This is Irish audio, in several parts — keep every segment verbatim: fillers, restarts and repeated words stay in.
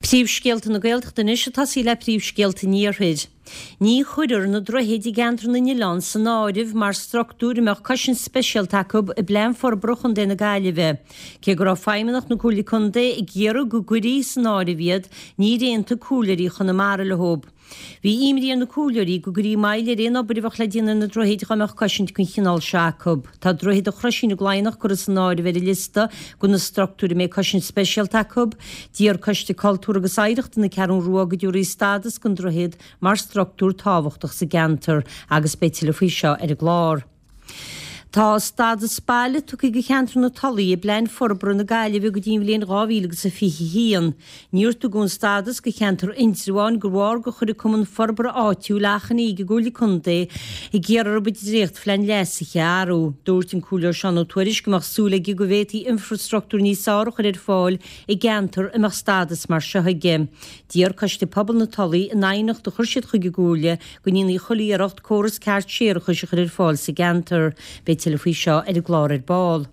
Príomhscéalta na Gaeltachta anois ag tosaí le príomhscéalta an Iarthair. Ní chuirfear na droichid i gceantar na nOileán san áireamh mar struchtúir a mbeadh cosaint speisialta acu i bPlean Forbartha Chontae na Gaillimhe. Cé go raibh feidhmeannacht na Comhairle Contae ag iarraidh go gcuirfí san áireamh iad, níor aontaigh comhairleoirí Chonamara leo. Bhí imní ar na comhairleoirí go gcuirfí moill ar aon obair a bheadh le déanamh ar na droichid dá mbeadh cosaint den chineál seo acu. Tá droichead an Chroisín i gCladhnach curtha san áireamh ar an liosta de na struchtúir a mbeidh cosaint speisialta acu. D'iarr Coiste Cultúir agus Oidhreachta na Ceathrún Rua go dtabharfaí stádas don droichead mar struchtúr tábhachtach sa gceantar agus beidh tuilleadh faoi seo ar an gclár. Tá stádas baile tugtha do cheantar na Tulaí i bPlean Forbartha na Gaillimhe go dtí an bhliain dhá mhíle agus a fiche a haon. Níor tugadh an stádas do cheantar Indreabháin de bharr gur chuir an Cumann Forbartha Áitiúil achainí ag an gComhairle Contae ag iarraidh orthu an dréachtphlean leasaithe a athrú. Dúirt an Comhairleoir Seán Ó Tuairisg go mbeadh súil aige go bhféadfaí infreastruchtúr níos fearr a chur ar fáil i gceantar a mbeadh stádas mar seo aige. D'iarr Coiste Pobail na Tulaí in aighneacht a chuir siad chuig an gComhairle go ndéanfaí chuile iarracht córas ceart séarachais a chur ar fáil sa gceantar. Beidh tuilleadh faoi seo ar an gclár ar ball.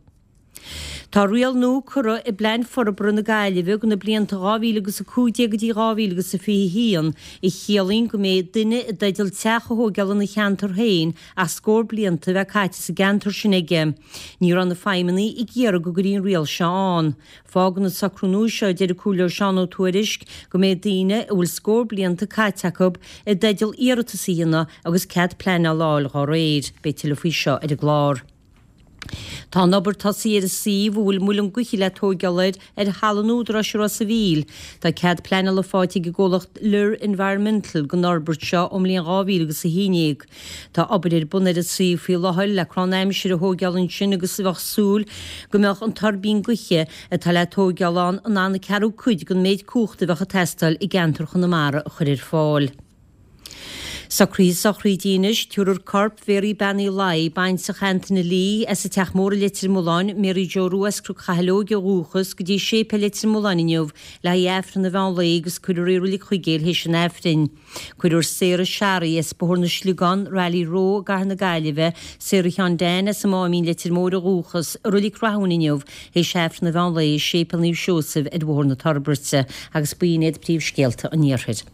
Tá riail nua curtha i bPlean Forbartha na Gaillimhe do na blianta dhá mhíle agus a cúig déag go dtí dhá mhíle agus a fiche a haon, a chiallaíonn go mbeidh duine i dteideal teach a thóigeáil ina cheantar féin ach scór blianta a bheith caite sa gceantar sin aige. Ní raibh na feidhmeannaigh ag iarraidh go gcuirfí an riail seo ann. Fágann an socrú nua seo, a deir an Comhairleoir Seán Ó Tuairisg, go mbeidh daoine a bhfuil scór blianta caite acu i dteideal iarratas a dhéanamh agus cead pleanála a fháil dá réir. Beidh tuilleadh faoi seo ar an gclár. Tá an obair tosaithe ar an suíomh a bhfuil muileann gaoithe le tóigeáil air ar thalamh an Údaráis i Ros a' Mhíl. Tá cead pleanála faighte ag an gcomhlacht Lir Environmental don fhorbairt seo ón mbliain dhá mhíle agus a haon déag. Tá obair ar bun ar an suíomh faoi láthair le crann aimsire a thóigeáil ansin agus bheadh súil go mbeadh an tuirbín gaoithe atá le tóigeáil ann in ann an ceathrú cuid den méid cumhachta a bheadh ag teastáil i gceantar Chonamara a chur ar fáil. Socruithe sochraide anois, tabharfar corp Mhéaraí Bean Uí Laoi, baintreach Antaine Lee, as an Teach Mór i Leitir Mealláin, Mary Joe Rua as Cnoc Chathail Óig ó dhúchas, go dtí Séipéal Leitir Mealláin inniu le haghaidh Aifreann an mheán lae agus cuirfear í i Reilig Chuigéil théis an Aifrinn. Cuirfear Sarah Sharry as Bóthar na Sliogán, Raleigh Row i gCathair na Gaillimhe, Sarah Sheáin Dan as an Máimín, Leitir Móir ó dhúchas, i Reilig Rathúin inniu théis Aifreann an mheán lae i Séipéal Naomh Seosamh ar Bhóthar na Toirbeirte agus b'in iad príomhscéalta an Iarthair.